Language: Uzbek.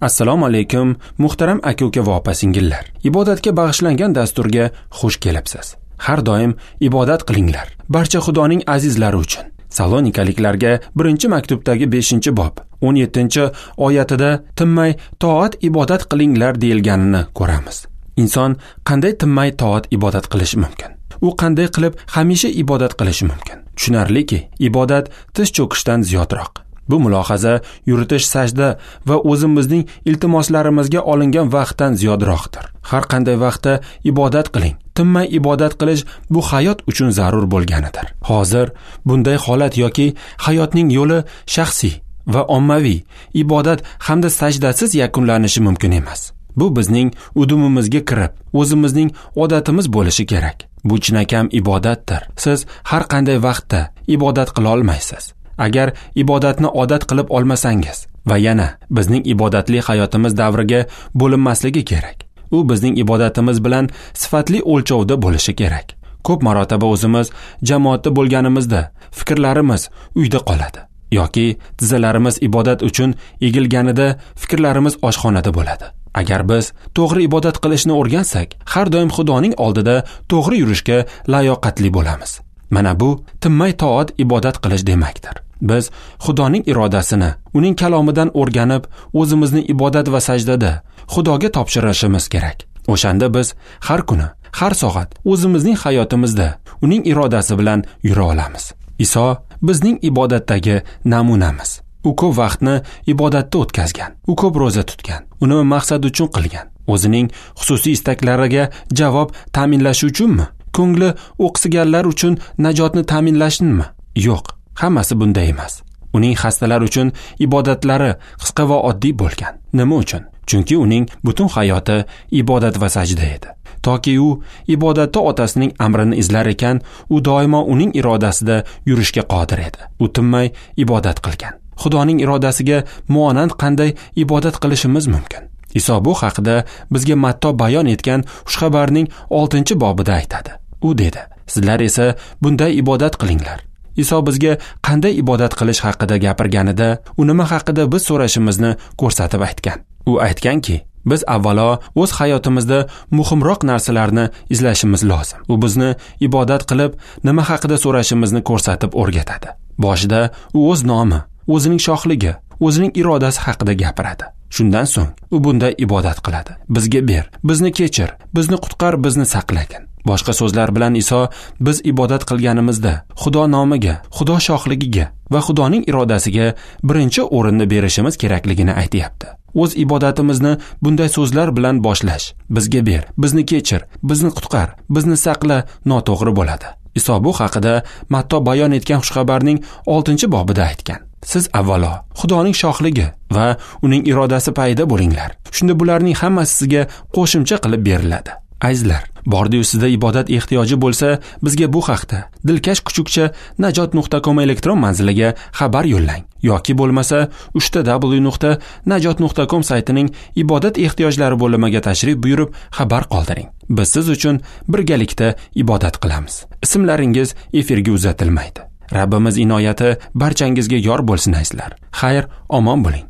Assalomu alaykum, muhtaram aka-uka va opa-singillar. Ibodatga bag'ishlangan dasturga xush kelibsiz. Har doim ibodat qilinglar. Barcha Xudoning azizlari uchun. Salonikaliklarga 1-maktubdagi 5-bob 17-oyatida tinmay toat ibodat qilinglar deyilganini ko'ramiz. Inson qanday tinmay toat ibodat qilishi mumkin? U qanday qilib hamisha ibodat qilishi mumkin? Tushunarliki, ibodat tiz cho'kishdan ziyodroq. Bu mulohaza yuritish sajda va o'zimizning iltimoslarimizga olingan vaqtdan ziyodroqdir. Har qanday vaqtda ibodat qiling. Tinmay ibodat qilish bu hayot uchun zarur bo'lganidir. Hozir bunday holat yoki hayotning yo'li shaxsiy va ommaviy ibodat hamda sajdasiz yakunlanishi mumkin emas. Bu bizning udumimizga kirib, o'zimizning odatimiz bo'lishi kerak. Bu chinakam ibodatdir. Siz har qanday vaqtda ibodat qila olmaysiz. Agar ibodatni odat qilib olmasangiz va yana bizning ibodatli hayotimiz davriga bo'linmasligi kerak. U bizning ibodatimiz bilan sifatli o'lchovda bo'lishi kerak. Ko'p marotaba o'zimiz jamoatda bo'lganimizda fikrlarimiz uyda qoladi yoki tizzalarimiz ibodat uchun egilganida fikrlarimiz oshxonada bo'ladi. Agar biz to'g'ri ibodat qilishni o'rgansak, har doim Xudoning oldida to'g'ri yurishga layoqatli bo'lamiz. Mana bu tinmay toat ibodat qilish demakdir. Biz Xudoning irodasini, uning kalomidan o'rganib, o'zimizni ibodat va sajdada Xudoga topshirishimiz kerak. O'shanda biz har kuni, har soat o'zimizning hayotimizda uning irodasi bilan yura olamiz. Iso bizning ibodatdagi namunamiz. U ko'p vaqtni ibodatda o'tkazgan, u ko'p ro'za tutgan, uni maqsad uchun qilgan. O'zining xususiy istaklariga javob ta'minlash uchunmi? Ko'ngli o'qsiganlar uchun najotni ta'minlashnimi? Yo'q, hammasi bunday emas. Uning xastalar uchun ibodatlari qisqa va oddiy bo'lgan. Nima uchun? Chunki uning butun hayoti ibodat va sajda edi. Toki u ibodatda otasining amrini izlar ekan, u doimo uning irodasida yurishga qodir edi. U tinmay ibodat qilgan. Xudoning irodasiga muonand qanday ibodat qilishimiz mumkin? Iso bu haqida bizga Matto bayon etgan xushxabarning 6-bobida aytadi. U dedi: "Sizlar esa bunday ibodat qilinglar." Iso bizga qanday ibodat qilish haqida gapirganida, u nima haqida biz so'rashimizni ko'rsatib aytgan. U aytganki, biz avvalo o'z hayotimizda muhimroq narsalarni izlashimiz lozim. U bizni ibodat qilib, nima haqida so'rashimizni ko'rsatib o'rgatadi. Boshida u o'z nomi, o'zining shohligi, o'zining irodasi haqida gapiradi. Shundan so'ng u bunday ibodat qiladi: Bizga ber, bizni kechir, bizni qutqar, bizni saqlagin. Boshqa so'zlar bilan Iso biz ibodat qilganimizda Xudo nomiga, Xudo shohligiga va Xudoning irodasiga birinchi o'rinni berishimiz kerakligini aytayapti. O'z ibodatimizni bunday so'zlar bilan boshlash, bizga ber, bizni kechir, bizni qutqar, bizni saqla noto'g'ri bo'ladi. Iso bu haqida Matto bayon etgan xushxabarning 6-bobida aytgan. Siz avvalo Xudoning shohligi va uning irodasi payida bo'linglar. Shunda bularning hammasi sizga qo'shimcha qilib beriladi. Azizlar, bordi-yu sizda ibodat ehtiyoji bo'lsa, bizga bu haqda dilkash kuchukcha najot.com elektron manziliga xabar yo'llang yoki bo'lmasa www.najot.com saytining ibodat ehtiyojlari bo'limiga tashrif buyurib xabar qoldiring. Biz siz uchun birgalikda ibodat qilamiz. Ismlaringiz efirga uzatilmaydi. Rabbimiz inoyati barchangizga yor bo'lsin azizlar. Xayr, omon bo'ling.